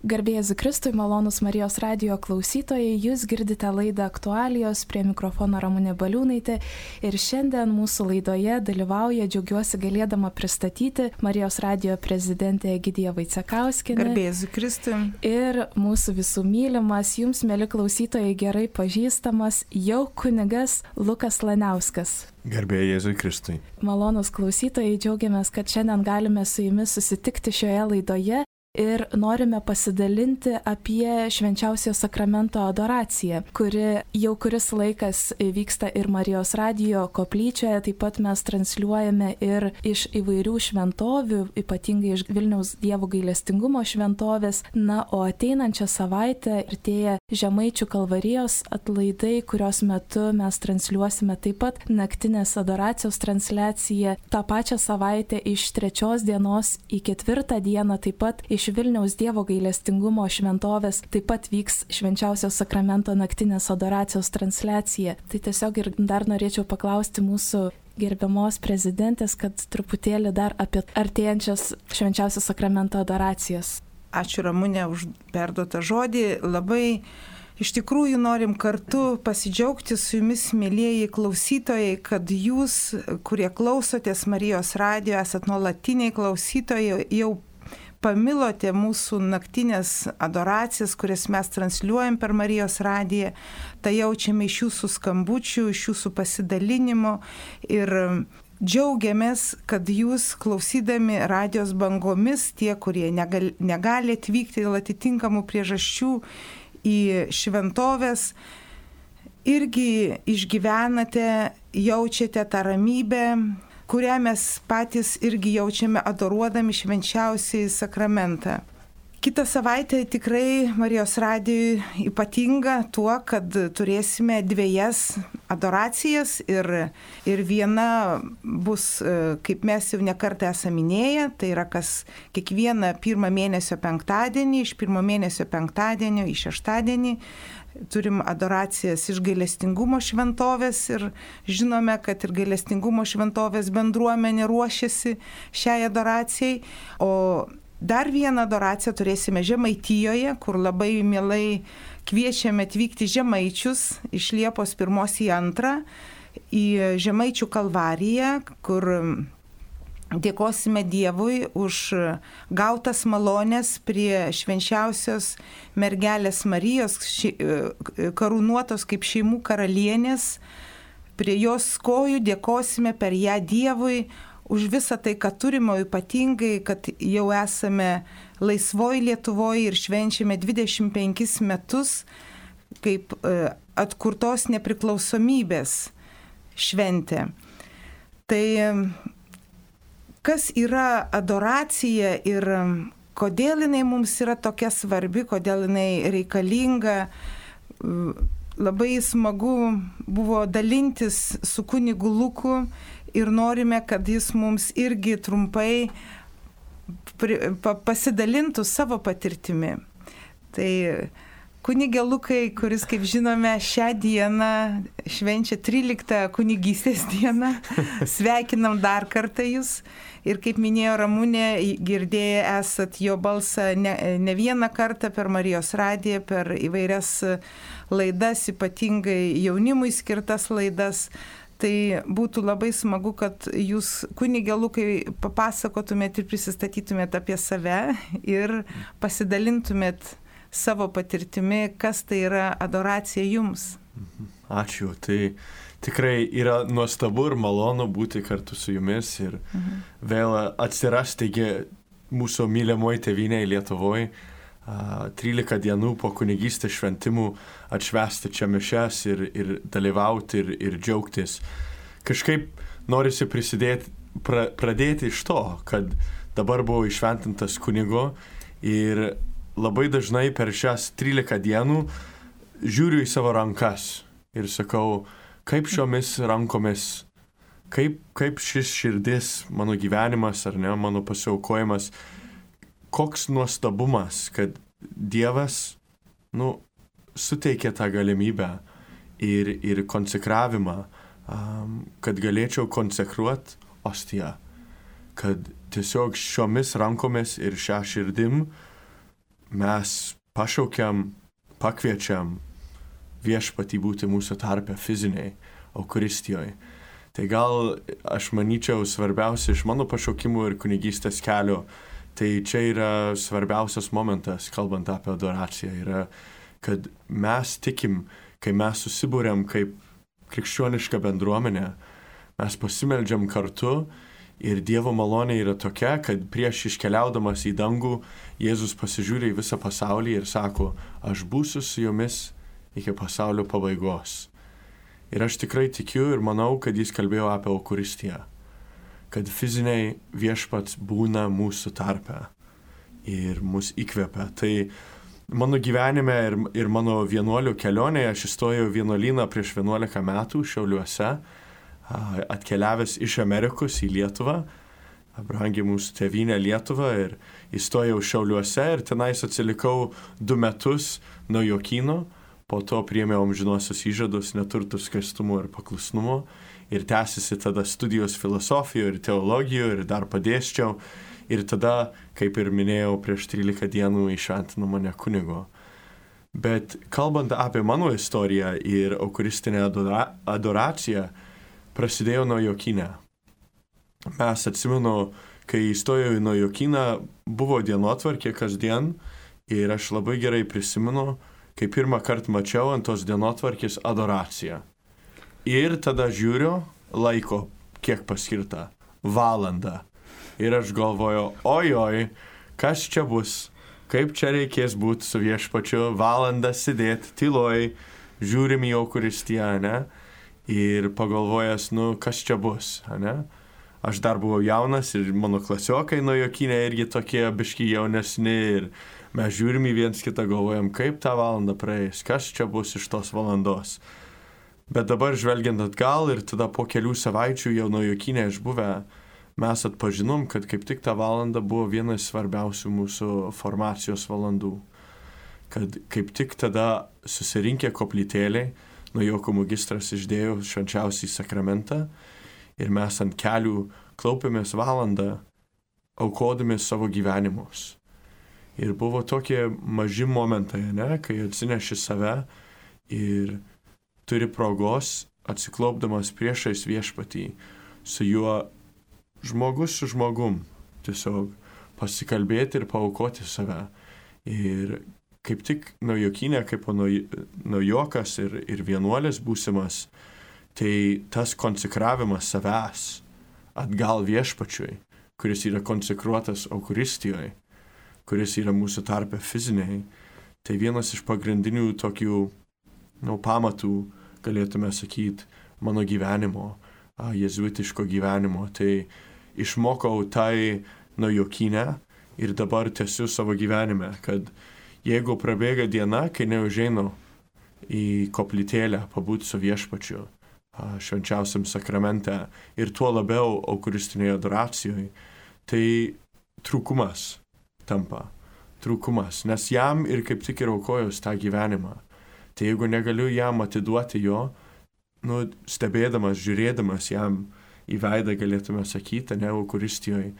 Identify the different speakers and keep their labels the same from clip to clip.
Speaker 1: Garbė Jėzui Kristui, malonūs Marijos radijo klausytojai, jūs girdite laidą Aktualijos, prie mikrofono Ramunė Baliūnaitė ir šiandien mūsų laidoje dalyvauja, džiaugiuosi galėdama pristatyti Marijos radijo prezidentė Egidija Vaicekauskienė.
Speaker 2: Garbė Jėzui Kristui.
Speaker 1: Ir mūsų visų mylimas, jums, mėly klausytojai, gerai pažįstamas jau kunigas Lukas Laniauskas.
Speaker 3: Garbė Jėzui Kristui.
Speaker 1: Malonūs klausytojai, džiaugiamės, kad šiandien galime su jumis susitikti šioje laidoje. Ir norime pasidalinti apie švenčiausiojo sakramento adoraciją, kuri jau kuris laikas vyksta ir Marijos radijo koplyčioje, taip pat mes transliuojame ir iš įvairių šventovių, ypatingai iš Vilniaus Dievo gailestingumo šventovės. Na, o ateinančią savaitę artėja Žemaičių Kalvarijos atlaidai, kurios metu mes transliuosime taip pat naktinės adoracijos transliaciją. Ta pačią savaitę iš 3 dienos į 4 dieną taip pat iš Vilniaus Dievo gailestingumo šventovės taip pat vyks švenčiausio sakramento naktinės adoracijos transliacija. Tai tiesiog ir dar norėčiau paklausti mūsų gerbiamos prezidentės, kad truputėlį dar apie artėjančias švenčiausio sakramento adoracijas.
Speaker 2: Ačiū Ramunė už perduotą žodį. Labai iš tikrųjų norim kartu pasidžiaugti su jumis, mėlieji klausytojai, kad jūs, kurie klausotės Marijos radijo, esat nuolatiniai klausytojai, jau pamilote mūsų naktinės adoracijas, kurias mes transliuojam per Marijos radiją. Tai jaučiame iš jūsų skambučių, iš jūsų pasidalinimo ir džiaugiamės, kad jūs klausydami radijos bangomis, tie, kurie negali atvykti dėl atitinkamų priežasčių į šventovės, irgi išgyvenate, jaučiate tą ramybę, kurią mes patys irgi jaučiame adoruodami švenčiausiąjį sakramentą. Kitą savaitę tikrai Marijos radijui ypatinga tuo, kad turėsime 2 adoracijas ir viena bus, kaip mes jau nekartą esame minėję, tai yra kiekvieną 1 mėnesio penktadienį, iš 1 mėnesio penktadienio į 6 turim adoracijas iš gailestingumo šventovės ir žinome, kad ir gailestingumo šventovės bendruomenė ruošiasi šiai adoracijai. O dar vieną adoraciją turėsime Žemaitijoje, kur labai mielai kviečiame atvykti žemaičius iš Liepos 1 į 2 į Žemaičių Kalvariją, kur dėkosime Dievui už gautas malonės prie švenčiausios mergelės Marijos, karūnuotos kaip šeimų karalienės. Prie jos kojų dėkosime per ją Dievui už visą tai, ką turime, ypatingai, kad jau esame laisvoj Lietuvoje ir švenčiame 25 metus kaip atkurtos nepriklausomybės šventė. Tai kas yra adoracija ir kodėl jinai mums yra tokia svarbi, kodėl jinai reikalinga. Labai smagu buvo dalintis su kunigu Luku ir norime, kad jis mums irgi trumpai pasidalintų savo patirtimi. Tai kunigė Lukai, kuris, kaip žinome, šią dieną švenčia 13 kunigystės dieną, sveikinam dar kartą jūs. Ir kaip minėjo Ramunė, girdėję esat jo balsą ne vieną kartą per Marijos radiją, per įvairias laidas, ypatingai jaunimui skirtas laidas. Tai būtų labai smagu, kad jūs, kunigė Lukai, papasakotumėt ir prisistatytumėt apie save ir pasidalintumėt savo patirtimi, kas tai yra adoracija jums.
Speaker 3: Ačiū. Tai tikrai yra nuostabu ir malonu būti kartu su jumis ir vėl atsirasti mūsų mylimoje tėvynėje Lietuvoje. 13 dienų po kunigystės šventimų atšvęsti čia mišias ir dalyvauti ir džiaugtis. Kažkaip norisi pradėti iš to, kad dabar buvau įšventintas kunigo ir labai dažnai per šias 13 dienų žiūriu į savo rankas ir sakau, kaip šiomis rankomis, kaip šis širdis, mano gyvenimas ar ne, mano pasiaukojimas, koks nuostabumas, kad Dievas, suteikė tą galimybę ir konsekravimą, kad galėčiau konsekruoti ostiją, kad tiesiog šiomis rankomis ir šią širdim mes pašaukiam, pakviečiam viešpatį būti mūsų tarpe fiziniai Eucharistijoje. Tai gal aš manyčiau svarbiausia iš mano pašaukimų ir kunigystės kelio, tai čia yra svarbiausias momentas, kalbant apie adoraciją, yra, kad mes tikim, kai mes susibūrėm kaip krikščioniška bendruomenė, mes pasimeldžiam kartu ir Dievo malonė yra tokia, kad prieš iškeliaudamas į dangų, Jėzus pasižiūrė į visą pasaulį ir sako, aš būsiu su jumis iki pasaulio pabaigos. Ir aš tikrai tikiu ir manau, kad jis kalbėjo apie Eucharistiją, kad fiziniai viešpats būna mūsų tarpe ir mus įkvepia. Tai mano gyvenime ir mano vienuolių kelionėje aš įstojau vienuolyną prieš 11 metų Šiauliuose, atkeliavęs iš Amerikos į Lietuvą, brangiai mūsų tėvynė Lietuva, ir įstojau Šiauliuose ir tenais atsilikau 2 metus nuo Jokyno, po to priėmiau amžinosius įžadus, neturtų skaistumo ir paklusnumo ir tęsiasi tada studijos filosofijoje ir teologijoje ir dar padėsčiau ir tada, kaip ir minėjau, prieš 13 dienų įšventino mane kunigo. Bet kalbant apie mano istoriją ir eucharistinę adoraciją, prasidėjo nuo Jokyne. Mes atsimenu, kai įstojau į Jokyną, buvo dienotvarkė kasdien ir aš labai gerai prisimenu, kai pirmą kartą mačiau ant tos dienotvarkės adoraciją. Ir tada žiūriu laiko, kiek paskirta, valandą. Ir aš galvoju, ojoj, kas čia bus, kaip čia reikės būti su viešpačiu, valandą sėdėti tyloj, žiūrim į Eucharistiją, ne? Ir pagalvojęs, kas čia bus, ne? Aš dar buvau jaunas ir mano klasiokai nuo Jokyne irgi tokie biški jaunesni ir mes žiūrim į viens kitą, galvojam, kaip tą valandą praeis, kas čia bus iš tos valandos. Bet dabar žvelgiant atgal ir tada po kelių savaičių jau nuo Jokyne išbuvę, mes atpažinom, kad kaip tik ta valanda buvo vienas svarbiausių mūsų formacijos valandų. Kad kaip tik tada susirinkę koplytėliai, nuo Joko magistras išdėjo švenčiausią sakramentą ir mes ant kelių klaupėmės valandą, aukodami savo gyvenimus. Ir buvo tokie maži momentai, ne, kai atsineši save ir turi progos atsiklaupdamas priešais viešpatį, su juo žmogus su žmogum, tiesiog pasikalbėti ir paaukoti save. Ir kaip tik Jokyne, kaip naujokas ir vienuolis būsimas, tai tas konsekravimas savęs atgal viešpačiui, kuris yra konsekruotas Eucharistijoje, kuris yra mūsų tarpe fiziniai, tai vienas iš pagrindinių tokių pamatų, galėtume sakyti, mano gyvenimo, jezuitiško gyvenimo. Tai išmokau tai Jokyne ir dabar tęsiu savo gyvenime, kad jeigu prabėga diena, kai neužeinu į koplytėlę pabūti su viešpačiu, švenčiausiam sakramente ir tuo labiau eucharistinėje adoracijoje, tai trūkumas tampa. Trūkumas, nes jam ir kaip tik ir aukojus tą gyvenimą. Tai jeigu negaliu jam atiduoti jo, stebėdamas, žiūrėdamas jam į veidą, galėtume sakyti, ne Eucharistijoje,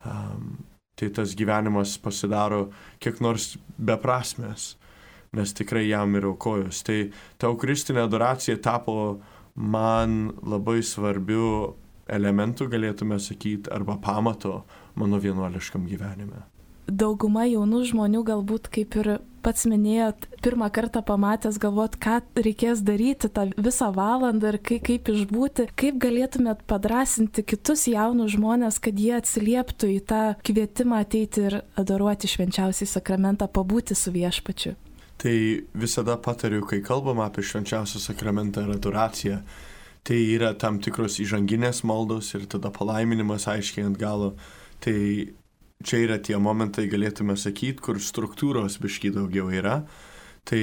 Speaker 3: tai tas gyvenimas pasidaro kiek nors beprasmės, nes tikrai jam ir aukojus. Tai ta eucharistinė adoracija tapo man labai svarbiu elementu, galėtume sakyti, arba pamato mano vienuoliškam gyvenime.
Speaker 1: Dauguma jaunų žmonių galbūt, kaip ir pats minėjot, pirmą kartą pamatęs galvot, ką reikės daryti tą visą valandą ir kaip išbūti, kaip galėtumėt padrasinti kitus jaunus žmonės, kad jie atsilieptų į tą kvietimą ateiti ir adoruoti švenčiausią sakramentą, pabūti su viešpačiu.
Speaker 3: Tai visada patariu, kai kalbam apie švenčiausią sakramentą ir adoraciją, tai yra tam tikros įžanginės maldos ir tada palaiminimas aiškiai ant galo. Tai čia yra tie momentai, galėtume sakyti, kur struktūros biški daugiau yra. Tai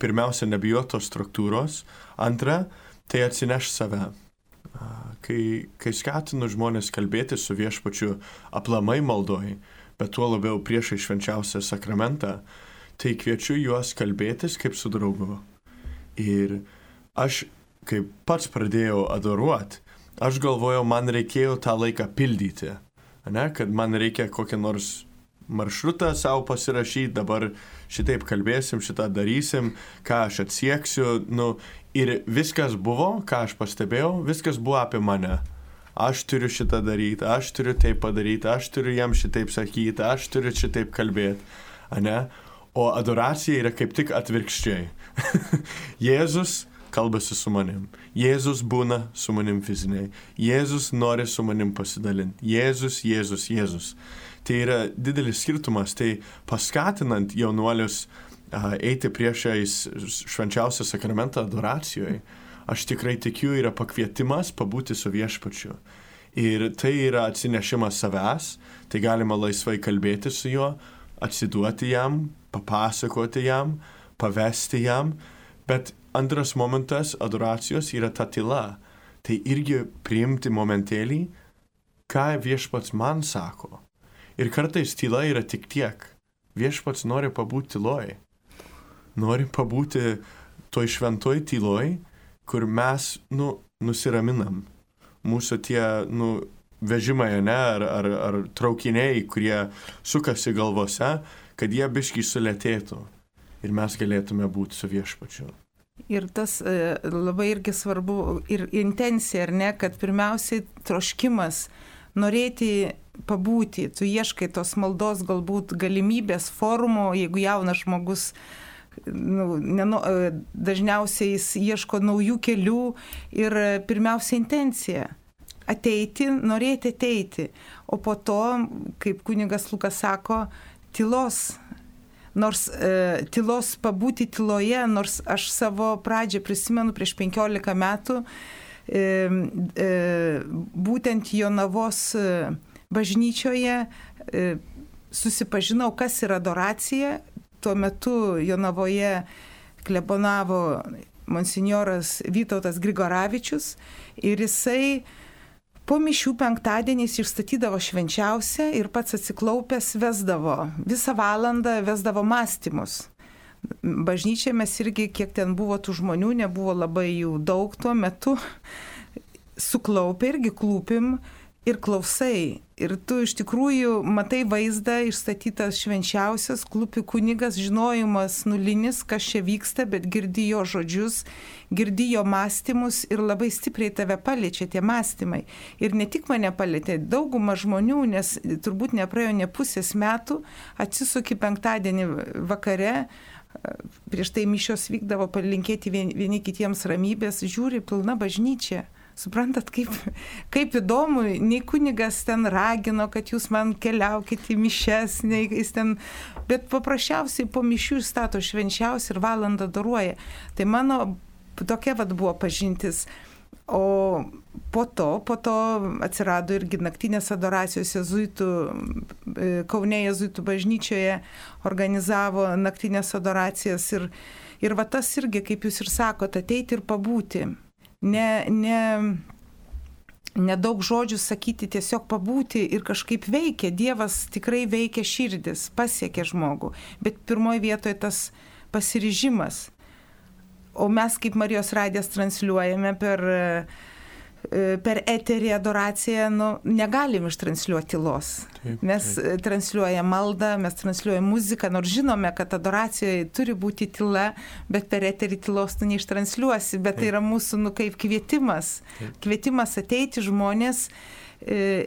Speaker 3: pirmiausia, nebijot tos struktūros. Antra, tai atsineš save. Kai skatinu žmonės kalbėti su viešpačiu aplamai maldoj, bet tuo labiau priešai švenčiausią sakramentą, tai kviečiu juos kalbėtis kaip su draugu. Ir aš, kai pats pradėjau adoruoti, aš galvojau, man reikėjo tą laiką pildyti. Ne? Kad man reikia kokią nors maršrutą savo pasirašyti, dabar šitaip kalbėsim, šitą darysim, ką aš atsieksiu. Ir viskas buvo, ką aš pastebėjau, viskas buvo apie mane. Aš turiu šitą daryti, aš turiu taip padaryti, aš turiu jam šitaip sakyti, aš turiu šitaip kalbėti. Ane? O adoracija yra kaip tik atvirkščiai. Jėzus kalbasi su manim. Jėzus būna su manim fiziniai. Jėzus nori su manim pasidalinti. Jėzus. Tai yra didelis skirtumas. Tai paskatinant jaunuolius eiti priešais švenčiausią sakramentą adoracijoje, aš tikrai tikiu, yra pakvietimas pabūti su viešpačiu. Ir tai yra atsinešimas savęs, tai galima laisvai kalbėti su juo, atsiduoti jam, papasakoti jam, pavesti jam. Bet antras momentas adoracijos yra ta tyla. Tai irgi priimti momentėlį, ką viešpats man sako. Ir kartais tyla yra tik tiek. Viešpats nori pabūti tyloj. Nori pabūti toj šventoj tyloj, kur mes, nusiraminam. Mūsų tie, vežimai, ar traukiniai, kurie sukasi galvose, kad jie biškį sulėtėtų. Ir mes galėtume būti su viešpačiu.
Speaker 2: Ir tas labai irgi svarbu, ir intencija, ar ne, kad pirmiausiai troškimas, norėti pabūti, tu ieškai tos maldos galbūt galimybės, forumo, jeigu jaunas žmogus, dažniausiai jis ieško naujų kelių ir pirmiausia intencija. Ateiti, norėti ateiti. O po to, kaip kunigas Lukas sako, tylos. Nors tylos pabūti tyloje, nors aš savo pradžią prisimenu prieš 15 metų, būtent Jonavos bažnyčioje susipažinau, kas yra adoracija. Tuo metu Jonavoje klebonavo monsinjoras Vytautas Grigoravičius ir jisai po mišių penktadieniais išstatydavo švenčiausią ir pats atsiklaupęs vesdavo. Visą valandą vesdavo mąstymus. Bažnyčiai mes irgi, kiek ten buvo tų žmonių, nebuvo labai jų daug tuo metu, suklaupę irgi klūpim ir klausai. Ir tu iš tikrųjų matai vaizdą, išstatytas švenčiausias, klūpi kunigas, žinojimas nulinis, kas čia vyksta, bet girdi jo žodžius, girdi jo mąstymus ir labai stipriai tave paliečia tie mąstymai. Ir ne tik mane palietė, dauguma žmonių, nes turbūt nepraėjo ne pusės metų, atsisuki penktadienį vakare, prieš tai mišios vykdavo palinkėti vieni kitiems ramybės, žiūri pilna bažnyčia. Suprantat, kaip įdomu, nei kunigas ten ragino, kad jūs man keliaukite į mišes, nei jis ten, bet paprasčiausiai po mišių stato švenčiausiai ir valandą adoruoja. Tai mano tokia buvo pažintis. O po to atsirado irgi naktinės adoracijos jėzuitų, Kaune jėzuitų bažnyčioje organizavo naktinės adoracijas ir va tas irgi, kaip jūs ir sakote, ateiti ir pabūti. Ne daug žodžių sakyti, tiesiog pabūti ir kažkaip veikia. Dievas tikrai veikia širdis, pasiekia žmogų. Bet pirmoje vietoje tas pasiryžimas. O mes kaip Marijos radijas transliuojame per eterį adoraciją, negalim ištransliuoti tylos. Mes transliuojame maldą, mes transliuojame muziką, nors žinome, kad adoracijoje turi būti tyla, bet per eterį tylos tu neištransliuosi, bet tai yra mūsų kaip kvietimas. Kvietimas ateiti žmonės,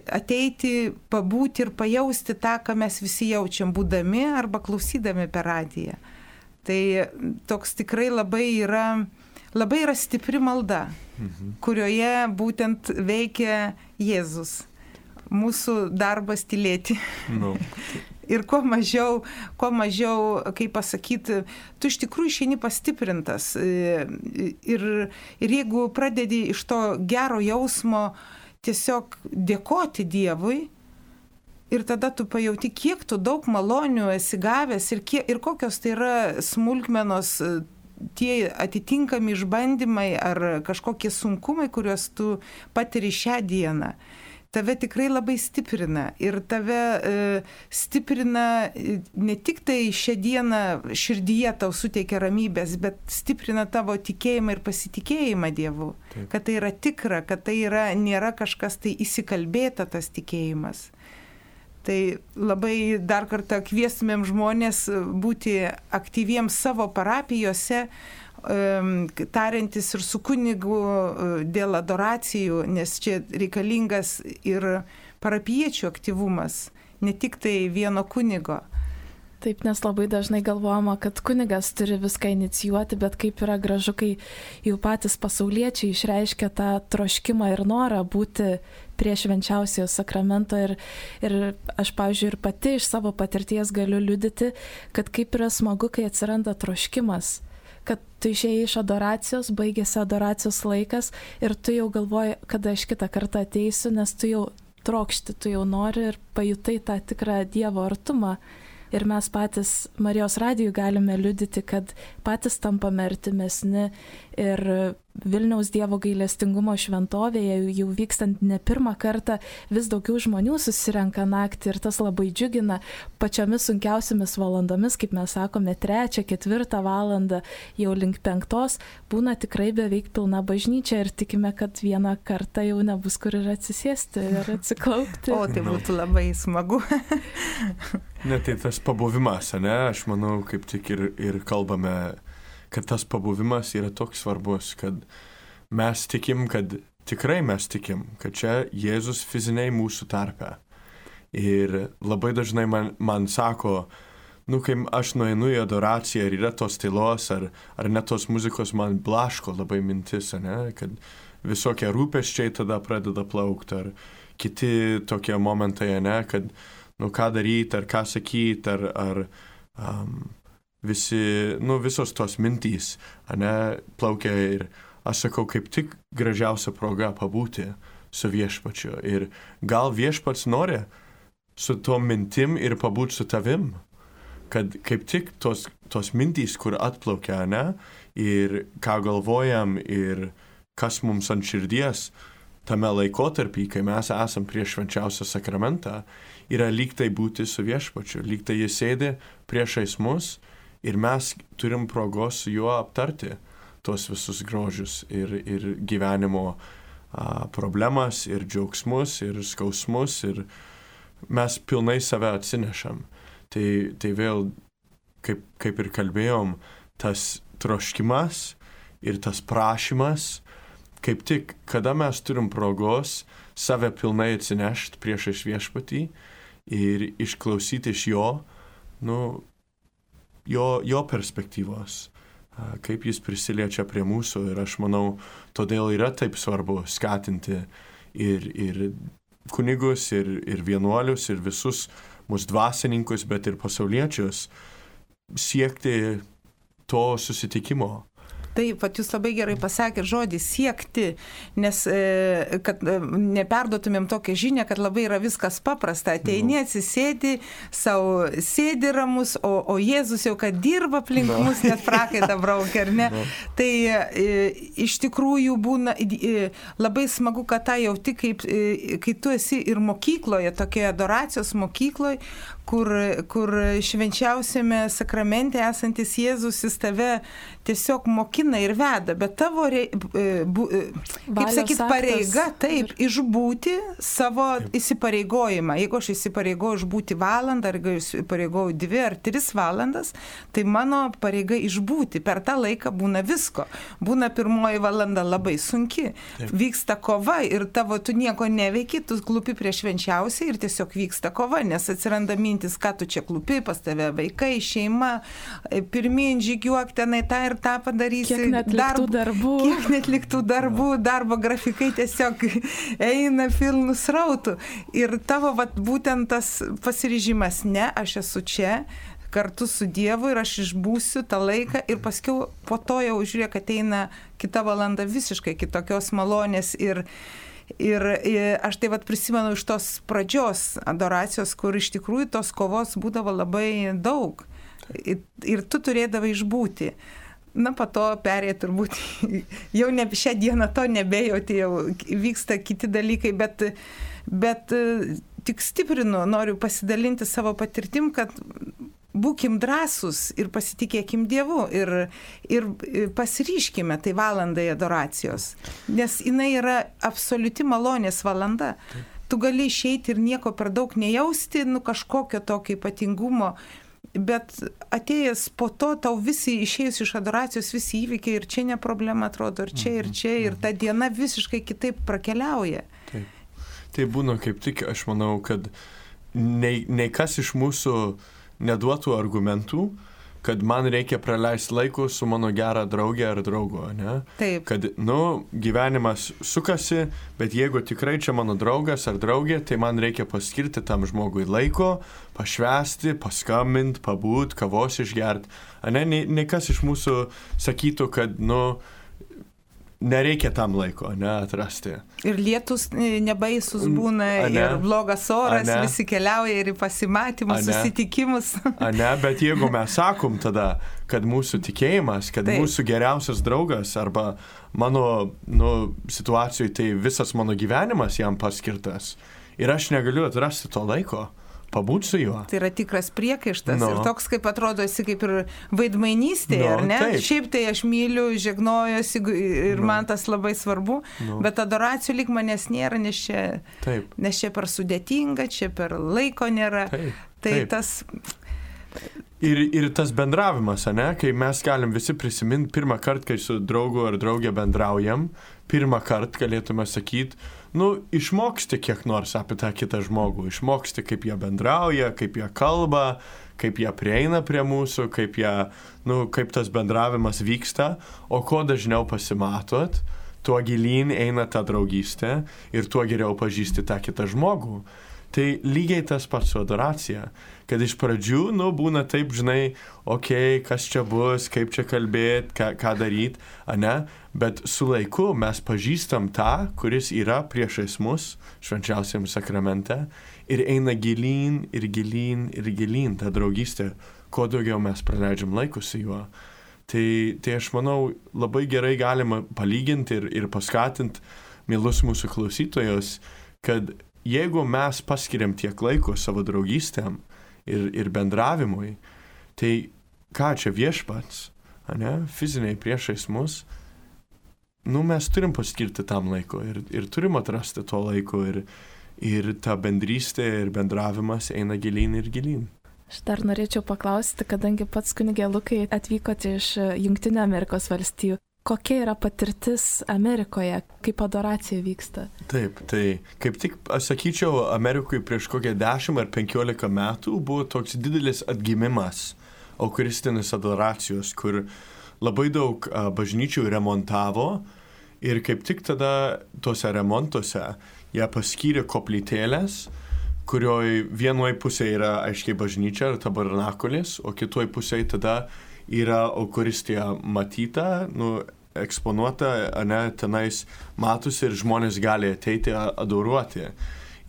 Speaker 2: ateiti, pabūti ir pajausti tą, ką mes visi jaučiam, būdami arba klausydami per radiją. Tai toks tikrai labai yra stipri malda, kurioje būtent veikia Jėzus. Mūsų darbas tylėti. Ir kuo mažiau, kaip pasakyti, tu iš tikrųjų išeini pastiprintas. Ir jeigu pradedi iš to gero jausmo tiesiog dėkoti Dievui, ir tada tu pajauti, kiek tu daug malonių esi gavęs ir kokios tai yra smulkmenos, tie atitinkami išbandymai ar kažkokie sunkumai, kuriuos tu patiri šią dieną. Tave tikrai labai stiprina ir tave stiprina ne tik tai šią dieną širdyje tau suteikia ramybės, bet stiprina tavo tikėjimą ir pasitikėjimą Dievu. Taip. Kad tai yra tikra, kad tai nėra kažkas tai įsikalbėta tas tikėjimas. Tai labai dar kartą kviestumėm žmonės būti aktyviems savo parapijose, tariantis ir su kunigu dėl adoracijų, nes čia reikalingas ir parapiečių aktyvumas, ne tik tai vieno kunigo.
Speaker 1: Taip, nes labai dažnai galvojama, kad kunigas turi viską inicijuoti, bet kaip yra gražu, kai jau patys pasauliečiai išreiškia tą troškimą ir norą būti prie švenčiausiojo sakramento ir aš, pavyzdžiui, ir pati iš savo patirties galiu liudyti, kad kaip yra smagu, kai atsiranda troškimas, kad tu išėjai iš adoracijos, baigėsi adoracijos laikas ir tu jau galvoji, kada aš kitą kartą ateisiu, nes tu jau trokšti, tu jau nori ir pajutai tą tikrą Dievo artumą. Ir mes patys Marijos radijui galime liudyti, kad patys tampame artimesni ir Vilniaus Dievo gailestingumo šventovėje jau vykstant ne pirmą kartą vis daugiau žmonių susirenka naktį ir tas labai džiugina pačiomis sunkiausiamis valandomis, kaip mes sakome, 3, 4 valandą, jau link 5 būna tikrai beveik pilna bažnyčia ir tikime, kad vieną kartą jau nebus kur ir atsisėsti ir atsiklaupti.
Speaker 2: O, tai būtų labai smagu.
Speaker 3: Ne, tai tas pabuvimas, ne, aš manau, kaip tik ir kalbame, kad tas pabuvimas yra toks svarbus, kad mes tikim, kad tikrai mes tikim, kad čia Jėzus fiziniai mūsų tarpe. Ir labai dažnai man sako, kai aš nueinu į adoraciją ir yra tos tylos ar net tos muzikos, man blaško labai mintis, ne, kad visokie rūpesčiai tada pradeda plaukti, ar kiti tokie momentai, ne, kad ką daryti, ar ką sakyti, ar visos tos mintys, ne, plaukia ir aš sakau, kaip tik gražiausia proga pabūti su viešpačiu. Ir gal viešpats nori su tom mintim ir pabūti su tavim, kad kaip tik tos mintys, kur atplaukia, ne, ir ką galvojam ir kas mums ant širdies tame laikotarpį, kai mes esam prieš švenčiausią sakramentą, yra lyg tai būti su viešpačiu, lyg tai jis sėdi priešais mus ir mes turim progos su juo aptarti tos visus grožius ir gyvenimo problemas, ir džiaugsmus, ir skausmus, ir mes pilnai save atsinešam. Tai vėl, kaip ir kalbėjom, tas troškimas ir tas prašymas, kaip tik, kada mes turim progos save pilnai atsinešti priešais viešpatį ir išklausyti iš jo, jo perspektyvos, kaip jis prisiliečia prie mūsų. Ir aš manau, todėl yra taip svarbu skatinti ir kunigus, ir vienuolius, ir visus mūsų dvasininkus, bet ir pasauliečius siekti to susitikimo.
Speaker 2: Taip, pat jūs labai gerai pasakėte žodį siekti, nes kad neperduotumėm tokią žinią, kad labai yra viskas paprasta. Ateini, atsisėdi, savo sėdi ramus, o Jėzus jau kad dirba aplink mus, net prakaitą braukia, ar ne? Tai iš tikrųjų būna labai smagu, kad tą jauti, kai tu esi ir mokykloje, tokioje adoracijos mokykloje, kur švenčiausiame sakramente esantis Jėzus jis tave tiesiog mokina ir veda, bet tavo, kaip sakyt, pareiga, taip, išbūti savo įsipareigojimą. Jeigu aš įsipareigoju išbūti valandą, ar įsipareigoju 2 ar 3 valandas, tai mano pareiga išbūti. Per tą laiką būna visko. Būna 1 valanda labai sunki. Taip. Vyksta kova ir tu nieko neveiki, tu klupi prieš švenčiausiai ir tiesiog vyksta kova, nes atsiranda mintis, ką tu čia klupi, pas tave vaikai, šeima, pirmin žygiuok tenai tą ir tą padarysi.
Speaker 1: Kiek netliktų darbų, darbo grafikai tiesiog eina pilnu srautu. Ir tavo būtent tas pasiryžimas, ne, aš esu čia kartu su Dievu ir aš išbūsiu tą laiką ir paskiau po to jau žiūrėk ateina kita valanda visiškai kitokios malonės ir aš tai prisimenu iš tos pradžios adoracijos, kur iš tikrųjų tos kovos būdavo labai daug ir tu turėdavai išbūti. Po to perėjo turbūt, jau šią dieną to nebejauti, jau vyksta kiti dalykai, bet tik stiprinu, noriu pasidalinti savo patirtim, kad būkim drąsūs ir pasitikėkim Dievu ir pasiryškime tai valandai adoracijos, nes jinai yra absoliuti malonės valanda.
Speaker 2: tu gali išeiti ir nieko per daug nejausti, kažkokio tokio ypatingumo. Bet atėjęs po to, tau visi išėjus iš adoracijos, visi įvykiai ir čia ne problema atrodo, ir čia, ir ta diena visiškai kitaip prakeliauja.
Speaker 3: Taip. Tai būna kaip tik, aš manau, kad nei kas iš mūsų neduotų argumentų, kad man reikia praleisti laiko su mano gera draugė ar draugu, ne?
Speaker 2: Taip.
Speaker 3: Kad, gyvenimas sukasi, bet jeigu tikrai čia mano draugas ar draugė, tai man reikia paskirti tam žmogui laiko, pašvęsti, paskambinti, pabūt, kavos išgerti. Nei kas iš mūsų sakytų, kad, nereikia tam laiko, atrasti.
Speaker 2: Ir lietus nebaisus būna, ir blogas oras, visi keliauja ir į pasimatymus, susitikimus.
Speaker 3: Bet jeigu mes sakom tada, kad mūsų tikėjimas, kad mūsų geriausias draugas arba mano situacijoje tai visas mano gyvenimas jam paskirtas ir aš negaliu atrasti to laiko, pabūti su juo.
Speaker 2: Tai yra tikras priekaištas ir toks, kaip atrodo, esi kaip ir vaidmainystėje, ar ne?
Speaker 3: Taip.
Speaker 2: Šiaip tai aš myliu, žegnojuosi ir man tas labai svarbu, bet adoracijų lyg manęs nėra, nes čia per sudėtinga, čia per laiko nėra.
Speaker 3: Taip.
Speaker 2: Tas...
Speaker 3: Ir tas bendravimas, kai mes galim visi prisiminti pirmą kartą, kai su draugu ar draugė bendraujam, pirmą kartą galėtume sakyti, išmoksti kiek nors apie tą kitą žmogų, išmoksti, kaip jie bendrauja, kaip jie kalba, kaip jie prieina prie mūsų, kaip tas bendravimas vyksta, o kuo dažniau pasimatot, tuo gilyn eina ta draugystė ir tuo geriau pažįsti tą kitą žmogų. Tai lygiai tas pats su adoracija, kad iš pradžių, būna taip, žinai, kas čia bus, kaip čia kalbėti, ką daryti, bet su laiku mes pažįstam tą, kuris yra priešais mus švenčiausiam sakramente ir eina gilyn ir gilyn ir gilyn ta draugystė, kuo daugiau mes praleidžiam laiko su juo. Tai aš manau, labai gerai galima palyginti ir paskatinti mielus mūsų klausytojus, kad jeigu mes paskiriam tiek laiko savo draugystėm ir bendravimui, tai ką čia viešpats, fiziniai priešais mus, mes turim paskirti tam laiko ir turim atrasti to laiko ir ta bendrystė ir bendravimas eina gilyn ir gilyn.
Speaker 1: Aš dar norėčiau paklausti, kadangi pats kunigė Lukai atvykote iš Jungtinių Amerikos valstijų, kokia yra patirtis Amerikoje, kaip adoracija vyksta?
Speaker 3: Taip, tai kaip tik, aš sakyčiau, Amerikoje prieš kokią 10 ar 15 metų buvo toks didelis atgimimas eucharistinės adoracijos, kur labai daug bažnyčių remontavo ir kaip tik tada tuose remontuose jie paskyrė koplytėlės, kurioje vienoje pusėje yra aiškiai bažnyčia ir tabernakulis, o kitoje pusėje tada yra eucharistija matyta, eksponuota, tenais matosi ir žmonės gali ateiti adoruoti.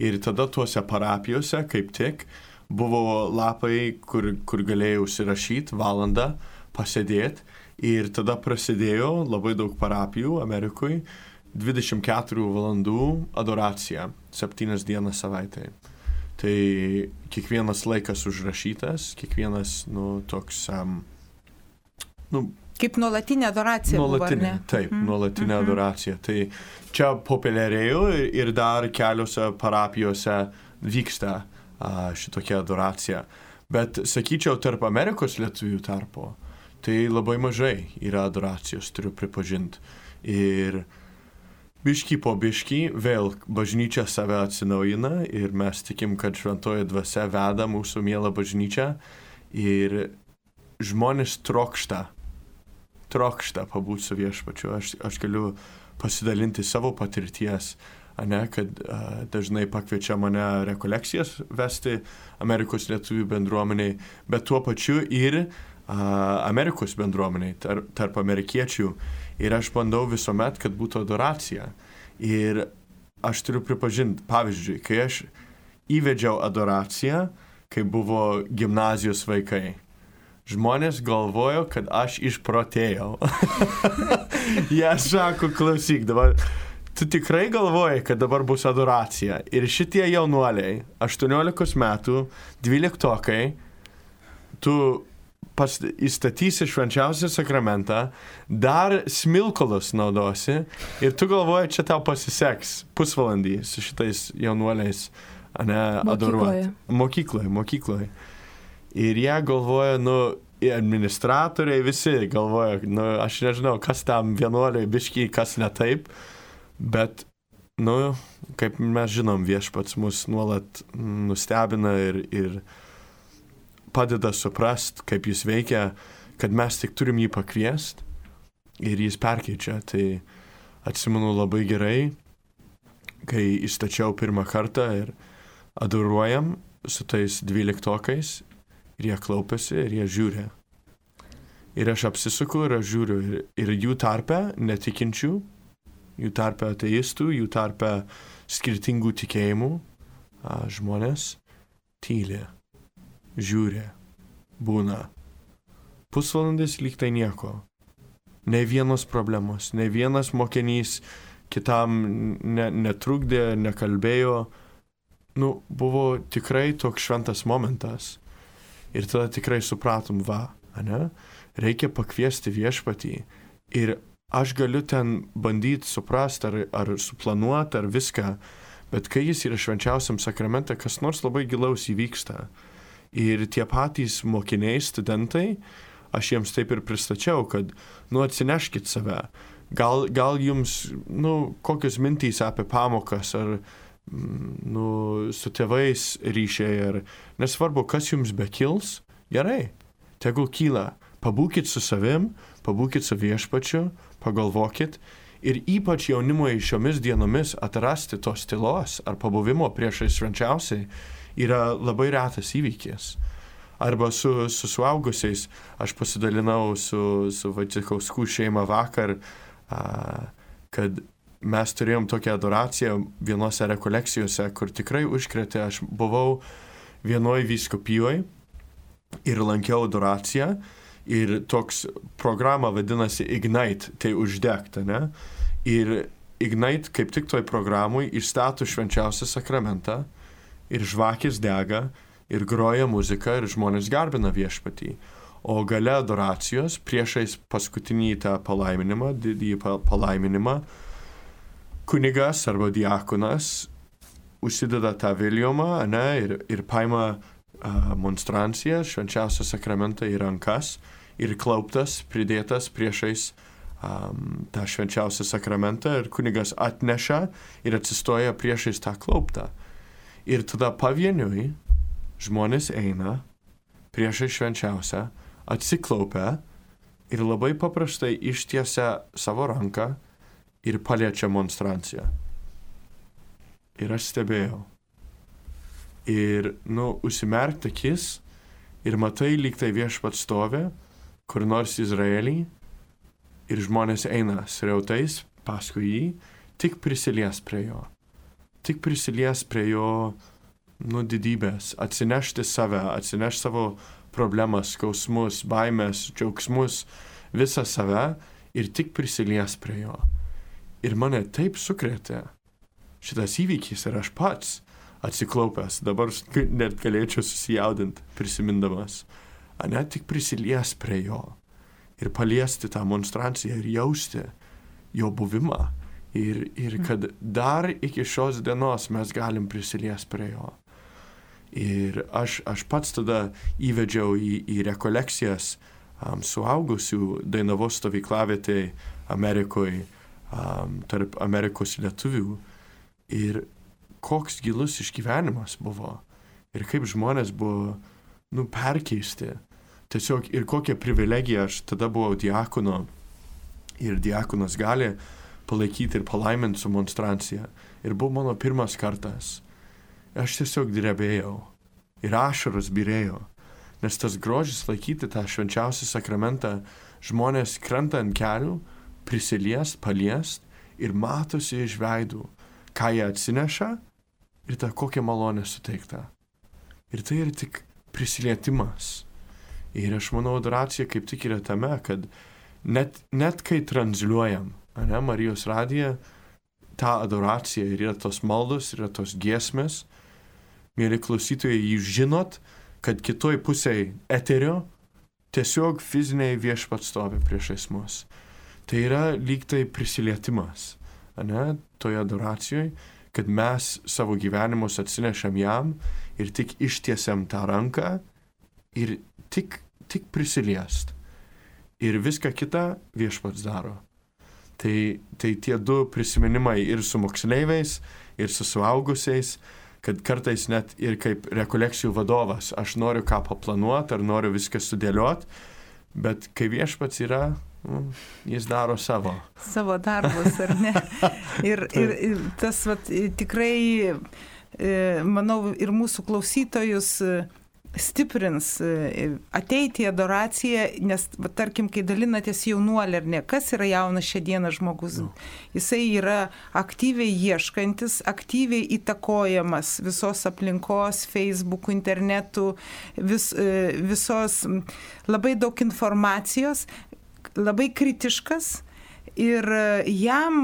Speaker 3: Ir tada tuose parapijose, kaip tik, buvo lapai, kur galėjau užsirašyti valandą, pasėdėti. Ir tada prasidėjo labai daug parapijų Amerikoje, 24 valandų adoracija, 7 dienas savaitėje. Tai kiekvienas laikas užrašytas, kiekvienas, toks,
Speaker 2: kaip nuolatinė adoracija buvo, ar ne?
Speaker 3: Taip, nuolatinė adoracija. Tai čia populiarėjo ir dar keliose parapijose vyksta šitokia adoracija. Bet, sakyčiau, tarp Amerikos lietuvių tarpo, tai labai mažai yra adoracijos, turiu pripažinti. Ir biškį po biškį vėl bažnyčia save atsinaujina ir mes tikim, kad šventoji dvasia veda mūsų mielą bažnyčią ir žmonės trokšta pabūti su viešpačiu. Aš galiu pasidalinti savo patirties, kad dažnai pakviečia mane rekolekcijas vesti Amerikos lietuvių bendruomeniai, bet tuo pačiu ir Amerikos bendruomeniai, tarp amerikiečių. Ir aš bandau visuomet, kad būtų adoracija. Ir aš turiu pripažinti, pavyzdžiui, kai aš įvedžiau adoraciją, kai buvo gimnazijos vaikai, žmonės galvojo, kad aš išprotėjau. Jie sako, klausyk, dabar tu tikrai galvoji, kad dabar bus adoracija. Ir šitie jaunuoliai, 18 metų, 12-okai, tu įstatysi švenčiausią sakramentą, dar smilkalus naudosi ir tu galvoji, čia tau pasiseks pusvalandį su šitais jaunuoliais, adoruoti. Mokykloje. Ir jie galvoja, administratoriai visi galvoja, aš nežinau, kas tam vienuoliai biškiai, kas ne taip, bet, kaip mes žinom, Viešpats mus nuolat nustebina ir padeda suprast, kaip jis veikia, kad mes tik turim jį pakviest ir jis perkeičia. Tai atsimenu labai gerai, kai įstačiau pirmą kartą ir adoruojam su tais 12-okais ir jie klaupiasi ir jie žiūri. Ir aš apsisuku ir aš žiūriu ir jų tarpe netikinčių, jų tarpe ateistų, jų tarpe skirtingų tikėjimų žmonės tyli. Žiūri, būna. Pusvalandis lyg tai nieko. Ne vienos problemos, ne vienas mokinys kitam netrukdė, nekalbėjo. Buvo tikrai toks šventas momentas. Ir tada tikrai supratom, reikia pakviesti Viešpatį. Ir aš galiu ten bandyti suprasti ar suplanuoti ar viską, bet kai jis yra švenčiausiam sakramente, kas nors labai gilaus įvyksta. Ir tie patys mokiniai, studentai, aš jiems taip ir pristačiau, kad, atsineškit save. Gal jums, kokios mintys apie pamokas, ar, su tėvais ryšiai, ar nesvarbu, kas jums bekils, gerai, tegul kyla. Pabūkit su savim, pabūkit su Viešpačiu, pagalvokit. Ir ypač jaunimui šiomis dienomis atrasti tos tylos ar pabuvimo priešais švenčiausiai yra labai retas įvykis. Arba su suaugusiais, aš pasidalinau su Vaicekauskų šeima vakar, kad mes turėjom tokią adoraciją vienose rekolekcijose, kur tikrai užkrėtė. Aš buvau vienoj vyskupijoje ir lankiau adoraciją ir toks programa vadinasi Ignite, tai uždegta, ne? Ir Ignite kaip tik toj programui išstato švenčiausią sakramentą ir žvakės dega, ir groja muzika, ir žmonės garbina Viešpatį. O gale adoracijos, priešais paskutinį tą palaiminimą, didįjį palaiminimą, kunigas arba diakonas užsideda tą viliomą, ir paima monstranciją, švenčiausią sakramentą į rankas, ir klauptas, pridėtas priešais tą švenčiausią sakramentą, ir kunigas atneša ir atsistoja priešais tą klauptą. Ir tada pavieniui žmonės eina priešai švenčiausią, atsiklaupia ir labai paprastai ištiesia savo ranką ir paliečia monstranciją. Ir aš stebėjau. Ir, užsimerkti akis ir matai, lyg tai Viešpats stovi, kur nors Izraelį, ir žmonės eina srautais paskui jį, tik prisilies prie jo. Tik prisilies prie jo, didybės, atsinešti save, atsinešti savo problemas, skausmus, baimės, džiaugsmus, visą save ir tik prisilies prie jo. Ir mane taip sukrėtė šitas įvykis ir aš pats atsiklaupęs, dabar net galėčiau susijaudinti prisimindamas, tik prisilies prie jo ir paliesti tą monstranciją ir jausti jo buvimą. Ir kad dar iki šios dienos mes galim prisilies prie jo. Ir aš pats tada įvedžiau į rekolekcijas suaugusių Dainavos stovyklavietėj Amerikoje, tarp Amerikos lietuvių. Ir koks gilus išgyvenimas buvo. Ir kaip žmonės buvo, perkeisti. Tiesiog ir kokia privilegija, aš tada buvau diakono. Ir diakonas gali palaikyti ir palaiminti su monstrancija. Ir buvo mano pirmas kartas. Aš tiesiog drebėjau. Ir ašaros byrėjo. Nes tas grožis laikyti tą švenčiausią sakramentą, žmonės krenta ant kelių, prisiliest, paliest ir matosi iš veidų, ką jie atsineša ir tą kokią malonę suteikta. Ir tai yra tik prisilietimas. Ir aš manau, adoracija kaip tik yra tame, kad net kai transliuojam, Marijos radiją, tą adoraciją ir yra tos maldos, yra tos giesmės. Mėly klausytojai, jūs žinot, kad kitoj pusėje eterio tiesiog fiziniai viešpats stovi priešais mus. Tai yra lyg tai prisilietimas, ne, toje adoracijoje, kad mes savo gyvenimus atsinešam jam ir tik ištiesiam tą ranką ir tik prisiliest. Ir viską kitą viešpats daro. Tai tie du prisiminimai ir su moksleiviais, ir su suaugusiais, kad kartais net ir kaip rekolekcijų vadovas, aš noriu ką paplanuoti, ar noriu viską sudėlioti, bet kai viešpats yra, jis daro savo
Speaker 2: darbus, ar ne? Ir tas tikrai, manau, ir mūsų klausytojus stiprins ateiti į adoraciją, nes, tarkim, kai dalinatės jaunuolį ar ne, kas yra jaunas šią dieną žmogus? Jisai yra aktyviai ieškantis, aktyviai įtakojamas visos aplinkos, Facebook'ų, internetų, visos labai daug informacijos, labai kritiškas ir jam,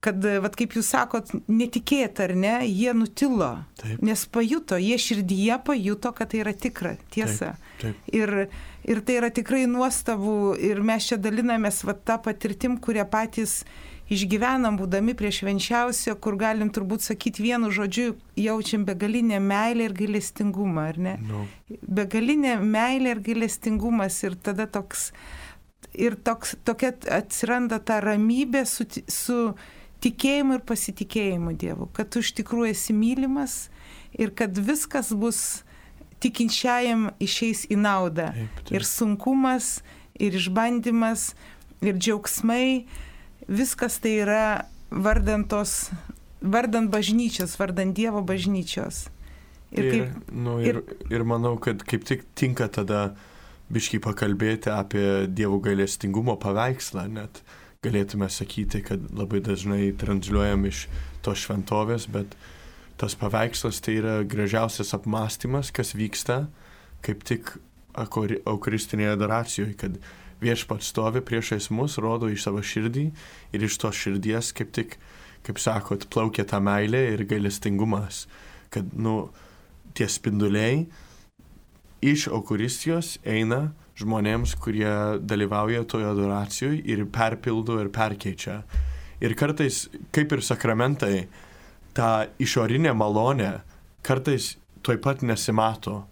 Speaker 2: kad, kaip jūs sakot, netikėta, ar ne, jie nutilo, taip. Nes pajuto, jie širdyje pajuto, kad tai yra tikra tiesa. Taip. Ir tai yra tikrai nuostabu ir mes čia dalinamės tą patirtim, kurią patys išgyvenam, būdami prie švenčiausio, kur galim turbūt sakyti vienu žodžiu, jaučiam begalinę meilę ir gailestingumą, ar ne? No. Begalinė meilė ir gailestingumas ir tada tokia atsiranda ta ramybė su tikėjimu ir pasitikėjimu Dievu, kad tu iš tikrųjų esi mylimas ir kad viskas bus tikinčiajam išeis į naudą. Taip. Ir sunkumas, ir išbandymas, ir džiaugsmai, viskas tai yra vardant bažnyčios, vardant Dievo bažnyčios.
Speaker 3: Ir manau, kad kaip tik tinka tada biškį pakalbėti apie Dievo gailestingumo paveikslą, net galėtume sakyti, kad labai dažnai transliuojam iš tos šventovės, bet tas paveikslas tai yra gražiausias apmąstymas, kas vyksta kaip tik eucharistinėje adoracijoje, kad viešpats stovi priešais mus, rodo iš savo širdį ir iš tos širdies kaip tik, kaip sakot, plaukia ta meilė ir gailestingumas, kad, tie spinduliai iš Eucharistijos eina žmonėms, kurie dalyvauja toje adoracijoje ir perpildo ir perkeičia. Ir kartais, kaip ir sakramentai, ta išorinė malonė kartais tuoj pat nesimato.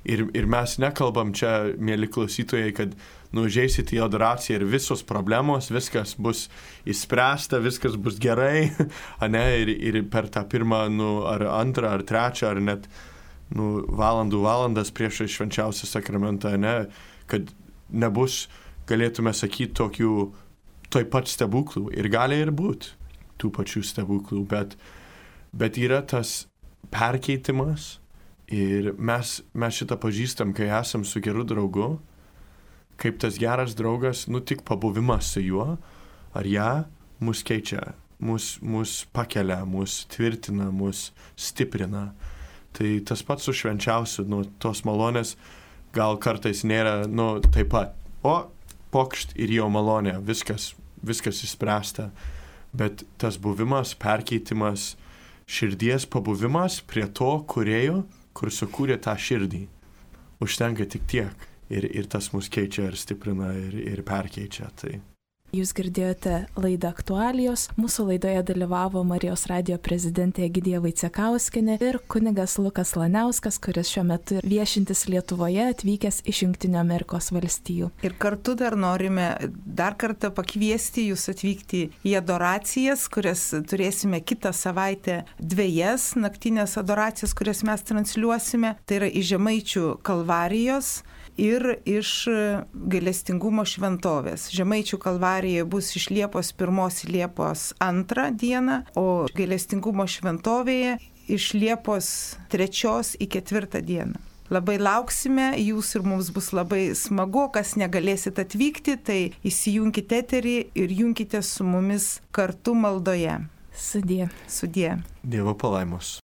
Speaker 3: Ir mes nekalbam čia, mėly klausytojai, kad užeisit į adoraciją ir visos problemos, viskas bus išspręsta, viskas bus gerai, ir per tą pirmą, ar antrą, ar trečią, ar net valandas prieš švenčiausią sakramentą, kad nebus, galėtume sakyti, tokių toj pat stebuklų. Ir gali ir būti tų pačių stebuklų, bet yra tas perkeitimas ir mes šitą pažįstam, kai esam su geru draugu, kaip tas geras draugas, tik pabuvimas su juo, ar ją, mus keičia, mus pakelia, mus tvirtina, mus stiprina. Tai tas pats su švenčiausiu, tos malonės gal kartais nėra, taip pat. Pokšt ir jo malonė, viskas išspręsta. Bet tas buvimas, perkeitimas, širdies pabuvimas prie to kūrėjo, kur sukūrė tą širdį. Užtenka tik tiek. Ir tas mus keičia ir stiprina ir perkeičia. Tai.
Speaker 1: Jūs girdėjote laidą Aktualijos. Mūsų laidoje dalyvavo Marijos radijo prezidentė Egidija Vaicekauskienė ir kunigas Lukas Laniauskas, kuris šiuo metu viešintis Lietuvoje, atvykęs iš Jungtinių Amerikos valstijų.
Speaker 2: Ir kartu dar norime dar kartą pakviesti jūs atvykti į adoracijas, kurias turėsime kitą savaitę 2 naktinės adoracijas, kurias mes transliuosime. Tai yra iš Žemaičių Kalvarijos ir iš gailestingumo šventovės. Žemaičių Kalvarija bus iš Liepos 1 į Liepos 2 dieną, o gailestingumo šventovėje iš Liepos 3 į 4 dieną. Labai lauksime, jūs ir mums bus labai smagu, kas negalėsit atvykti, tai įsijunkite eterį ir junkite su mumis kartu maldoje.
Speaker 1: Sudie.
Speaker 3: Dievo palaimos.